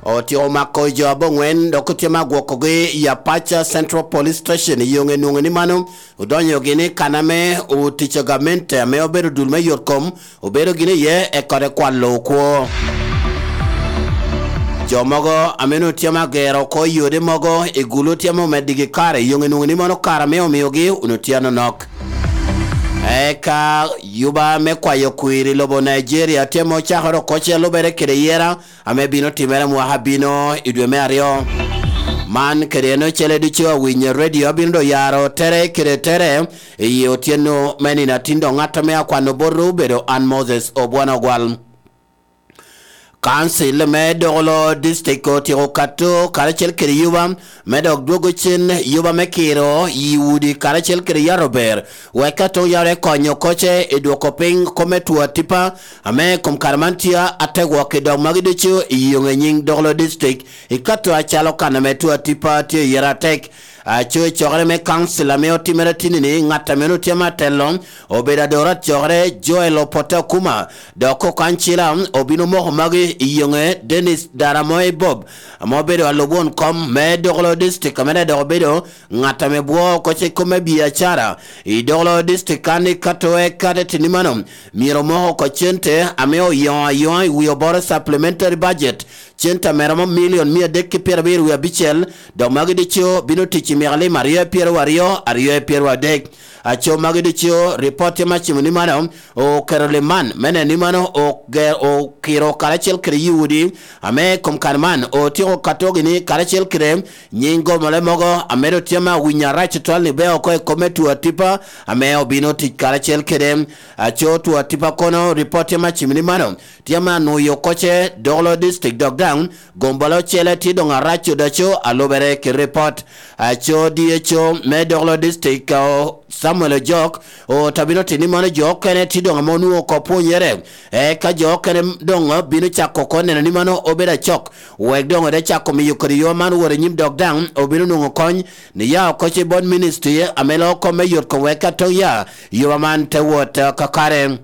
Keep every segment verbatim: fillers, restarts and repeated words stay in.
otyeko mako jo aboŋwen, dok otyeko agwokogi i Apac Central Police Station i yoŋe nwoŋo ni mano odonyogi ni kan ame otic a gamente ame obedo dul me yot kom obedo gin iye, ekode kwalo okwo. Jo mogo ame onwoŋo tye ame agero oko yode mogo i gulu tye ame omeddigi kare i yoŋe nwoŋo ni mano kare ame omiogi onwoŋo tye anonok. Eka yuba me kwayo kwir i lobo Nigeria tye ame ocakere oko ce lubere kede yera ame bino timere mwaka bino i dwe me aryo. Man kede en ocele ducu awinyo redio abino do yaro tere kede tere i otyeno me nino atin dok ŋat ame akwano botwu obedo an Moses Obwana Ogwal. Kancil me Dogolo District otyeko kato karacel kede yuba me dok dwogo cen yuba me kiro i udi karacel kede yaro ber, wek ka toŋ yare konyo koce i dwoko piny kome two atipa ame i kom kare man tye ategwok i dog magi ducu i yoŋe nyiŋ Dogolo District i kato acalo kan ame two atipa tye i yere atek. Aco i cokere me kancil ame otimere tini-ni, ŋat ame onwoŋo tye me atelo obedo adorat cokere Joel Opote Okuma, dok okancila obino moko magi i yoŋe Dennis Daramoe Bob, ame obedo alub won kom me Dogolo District, ame daŋ dok obedo ŋat ame bwoo oko ce kome biacara i Dogolo District. Kan ikato eka te tini mano, myero omoko oko cente ame oyoŋo ayoŋa i wi oboro supplementary budget, cente ame romo milion mia adek ki pyerabiro wie abicel, dok magi ducu bino tic i myaka lim aryo i pyeraryo aryo, aryo i pyeraryo adek. Aco magi ducu, ripot tye me acimo ni mano oketo lim man me neno ni mano oge-, okiro karacel kede Yudi ame i kom kare man otyeko katogi ni karacel kede nyiŋ gomole mogo ame doŋ tye ame awinyo arac tutwal ni bea oko i kome two atipa ame obino tic karacel kede. Aco two atipa kono, ripot tye me acimo ni mano tye ame anwoyo koce Dogolo District, dok daŋ gombola ocele tye doŋ arac odaco alubere ki ripot. Aco D H O me Dogolo District, o, Samuel Ojok, otabino tini mano jo okene tye doŋ ame onwoŋo oko pwonyere, eka jo okene doŋ bino cako oko neno ni mano obedo acok, wek doŋ ode cako miyo kodi yo man wot i nyim, dok daŋ obino nwoŋo kony ni ya oko ce bot ministry ame loo kom me yot kom wek ka toŋ ya yuba man te wot, eh, kakare.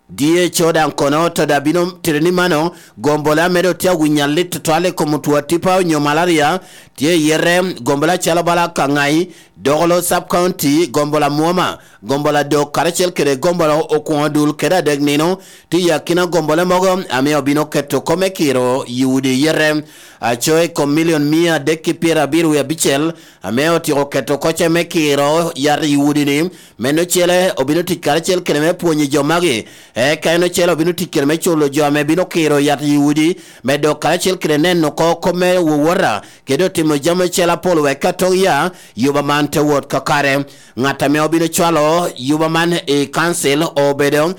D H O daŋ kono to daŋ bino tito ni mano, gombola ame doŋ tye awinyo alit tutwal i kom two atipa onyo malaria, tye i yete, gombola calo bala Kangai, Dogolo Sub County, gombola Mwoma, gombola Dok, karacel kede gombola Okwoŋo Dul kede Adek Nino, tye i akina gombola mogo ame obino keto kome kiro i udi i yete. Aco i kom milion mia adek ki pyerabiro wie abicel, ame otyeko keto koce me kiro yat i udi-ni, meno ocele obino tic karacel kede me pwonyo jo magi, eka en ocele obino tic kede me culo jo ame bino kiro yat i udi, me dok karacel kede neno oko kop me wowota, kede otimo jami ocele apol wek ka toŋ ya yuba man te wot kakare. Ŋat ame obino cwalo yuba man i kancil obedo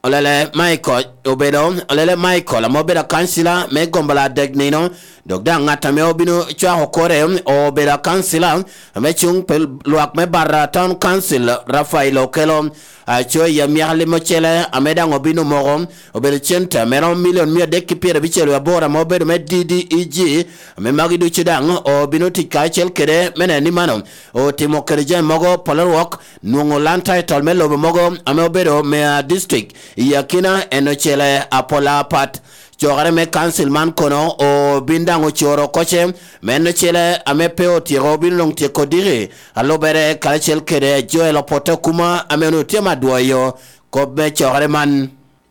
Olele Michael, obedo Olele Michael ame obedo akancila me gombola Adek Nino, dok daŋ ŋat ame obino cwako kore obedo akancila ame cuŋ pe lwak me Barra Town Council, Rafael Okello. Aco i amyaka lim ocele ame daŋ obino moko, obedo cente ame romo milion mia adek ki pyerabicel wie aboro ame obedo me D D E G, ame magi ducu daŋ obino tic karacel kede me neno ni mano otimo kede jami mogo pol orwok, nwoŋo land title me lobo mogo ame obedo me, ah, district i akina en ocele apola apat. Cokere me kancil man kono obin daŋ ocoro koce, me en ocele ame pe otyeko obino doŋ tyeko diki, alubere karacel kede Joel Opote Okuma ame onwoŋo tye me adwoyo kop me cokere man.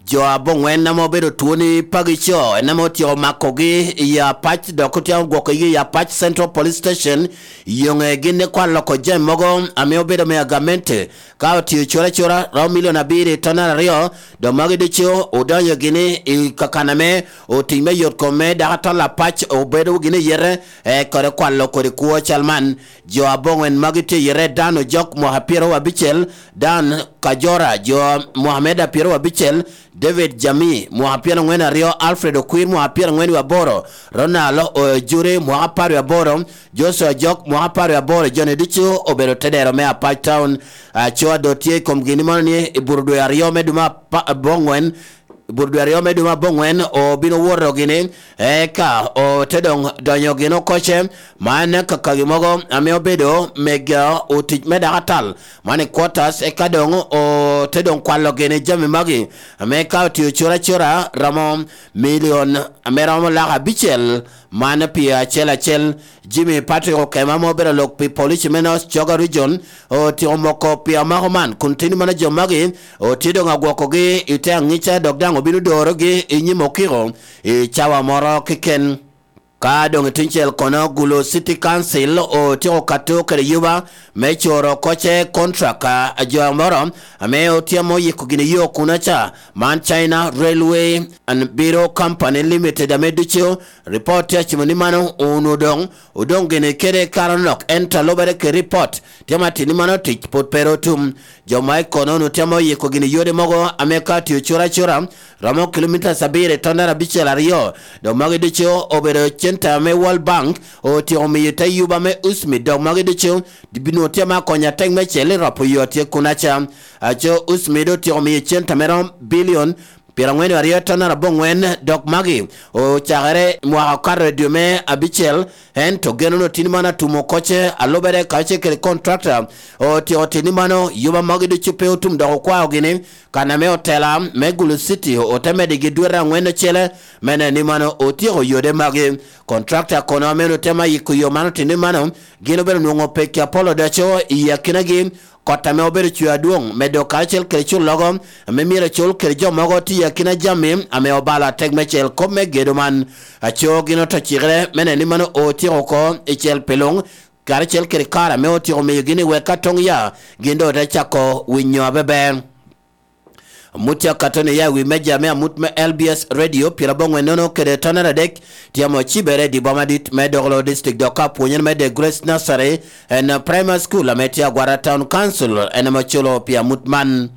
Jo aboŋwen ame obedo twoni pagi co, en ame otyeko makogi i Apac, dok otyeko gwokogi i Apac Central Police Station, yoŋe gin ikwalo oko jami mogo ame obedo me agamente, ka otio cura cura romo milion abiro i tonere aryo, dok magi ducu odonyo gini i kakan ame otic me yot kom me dako atol Apac obedo gini i yete, e kore kwalo kodi kwo cal man. Jo aboŋwen magi tye i yete: Dan Ojok, mwaka pyeraryo abicel, Dan Kajora, jo mwaka me da pyeraryo abicel, David Jami, mwaka pyerangwen aryo, Alfred Okwir, mwaka pyerangwen wie aboro, Ronald Ojuri, mwaka apar wie aboro, Joshua Jok, mwaka apar wie aboro. Joni ducu obedo tedero me Apac Town. Aco a doŋ tye i kom gin mano ni i bur dwe aryo me dwe me apa-, aboŋwen, Burudwe aryo me dwe me aboŋwen obino woto gini, eka ote doŋ donyo gin okoce, man kakagi mogo ame obedo mega otic me dako atal, man i quarters, eka doŋ ote doŋ kwalo gini jami magi, ame ka otio cura cura romo milion ame romo lak abicel, man pi acel acel. Jimmy Patrick Okema ma obedo lok pi polici me North Choga Region otyeko moko pi amako man, kun tini mano jo magi otye doŋ agwokogi i te aŋica, dok daŋ obino dorogi i nyim okiko i cawa moro keken. Ka doŋ i tuncel kono, Gulu City Council otyeko kato kede yuba me coro koce contract a jo moro ame otyemo yiko gini yo kuno ca, man China Railway and Bureau Company Limited, ame ducu ripot tye acimo ni mano onwo doŋ odoŋ gini kede kare onok, ento a lubere kede ripot, tye ma tini mano tic pwod pe ru otum. Jo ma i kono onwo temo yiko gini yode mogo ame ka tio cura cura romo kilomitas abiro i tonere abicel aryo, dok magi ducu obedo centa ame World Bank otyeko miyo te yuba me usmi, dok magi ducu binwo tye ma konyo atek me cel i ropo yo tye kunaca. Aco usmi doŋ otyeko miyo centa me romo bilion pyeraŋwen aryo tonere aboŋwen, dok magi ocakere mwaka okato i dwe me abicel, ento geno no tini mano atumo koce a lubere kacel kede contractor otyeko tini mano, yuba magi ducu pe otum, dok okwao gini kan ame otela me Gulu City ote medigi dwete aŋwen ocele, me neno ni mano otyeko yode magi. Contractor kono ame onwo temo yiko yo man otini mano, gin obedo nwoŋo peki apol odoco i akinagi, kot ame obedo cwe adwoŋ, medo karacel kede cullogo ame myero acul kede jo mogo tye i akina jami ame obalo atek me cel kop me gedo man. Aco gin oto cikere me neno ni mano otyeko oko i cel pi luŋ, karacel kede kare ame otyeko miyogi ni wek ka toŋ ya, gin doŋ ote cako winyo abeber. Amut tye akato ni ya i wi meja me amut me L B S Radio pyeraboŋwen nono kede tonere adek, tye amo cibere i di boma dit me Dokolo District, dok ka pwonyere me The Grace Nursery and Primary School ame tye Agwara Town Council en ame oculo pi amut man.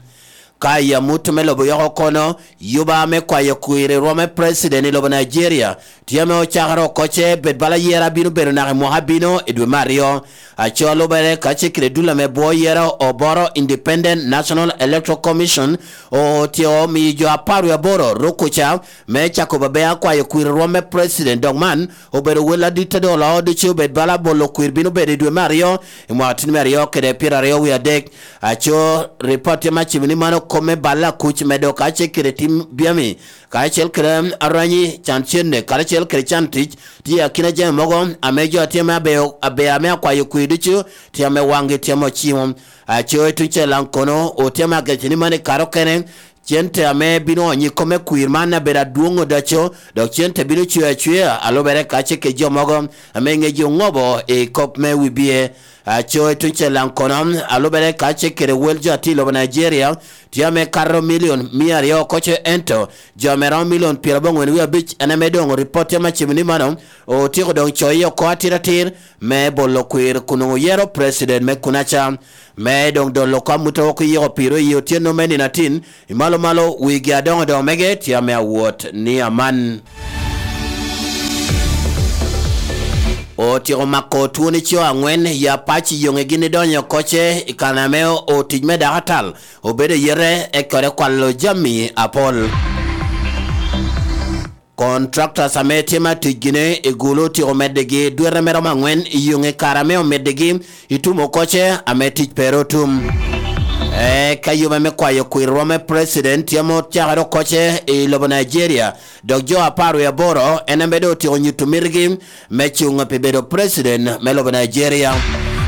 Ka i amut me lobo yoko kono, yuba me kwayo kwir i rwom me President i lobo Nigeria tye ame ocakere oko ce bed bala yera bino bedo naka i mwaka bino i dwe me aryo. Aco lubere ka cikere dul ame bwo yera oboro Independent National Electoral Commission otyeko miyo jo apar wie aboro rukuca me cako babea kwayo kwir rwom me President, dok man obedo wel adit a doŋ oloo ducu obed bala bolo kwir bino bedo i dwe me aryo i mwaka tin me aryo kede pyeraryo wie adek. Aco ripot tye ma cibo ni mano kop me balla kuc medo ka cikere tim byami karacel kede aranyi, can cenne karacel kede can tic, tye akina jami mogo ame jo a tye me abeyo, abeya me akwayo kwir ducu tye ame waŋgi tye ame ocimo. Aco i tuŋ cel daŋ kono otye ame agece ni mano i kare okene, cente ame bino onyo i kome kwir man abedo adwoŋ odaco, dok cente bino cwer acwea a lubere kace kede jo mogo ame ŋecgi oŋobo i kop me wibie. Aco i tuŋ cel daŋ kono, a lubere kace kede wel jo a tye i lobo Nigeria, tye ame kato milion mia aryo oko ce, ento jo ame romo milion pyeraboŋwen wie abic en ame doŋ ripot tye ame cimo ni mano otyeko doŋ coyo oko atir atir me bolo kwir kun onwoŋo yero president me kunaca. Me doŋ dolo kop amut a wok oyiko piro i otyeno me nino atin, i malo malo wigi adoŋo doŋo mege tye ame awot ni aman. Otyeko mako twoni co aŋwen i Apac i yoŋe gin idonyo oko ce i kan ame otic me dako atal obedo i yete, ekore kwalo jami apol. Contractors ame tye ma tic gini i Gulu otyeko medigi dwete me romo aŋwen i yoŋe kare ame omedigi i tumo oko ce ame tic pe ru otum. Eka yuba me kwayo kwir rwom me president tye ame ocakere oko ce i lobo Nigeria, dok jo apar wie aboro en ame doŋ otyeko nyuto mitigi me cuŋ pi bedo president me lobo Nigeria.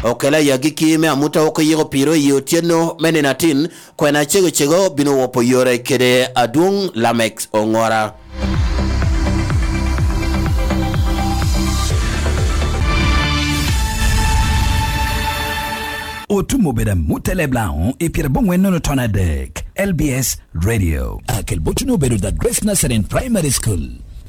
Okela i agikki me amut a wok oyiko piro i otyeno me nino atin, kwena cego cego bino wopo yore kede adwoŋ Lamex Oŋora. Otum obedo amut a leb Laŋo i pyeraboŋwen nono ton adek, L B S Radio. Akel botuni obedo The Grace Nazarene Primary School.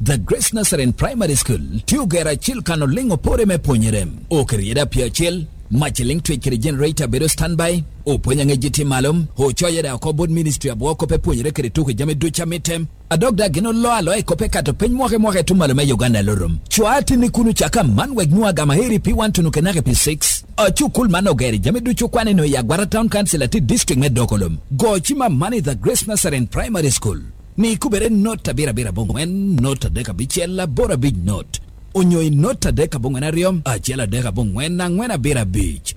The Grace Nazarene Primary School tye ogero acil kan oliŋ opore me pwonyere. Oketo yeda pye acel, mac eliŋ twec kede generator bedo standby, opwony aŋec tye malo, ocoyo yeda oko bot ministry abwo kop e pwonyere kede tuko jami ducu a mitte. A dok daŋ gin oloo aloa i kop ekato piny mwaka i mwaka i tuŋ malo me Uganda Lurum. Cwa atinni kun ocako aman wek nwoŋo agama heri pi one to nwoŋo kenaka pi six. Acukul man ogero i jami ducu okwane nwoŋo i Agwara Town Council atir district me Dokolom. Go cim aman i The Grace Nazarene Primary School. ni ikubere not abiro abiro aboŋwen, not adek abicel, aboro abic not, onyo i not adek aboŋwen aryo, acel adek aboŋwen, aŋwen abiro abic.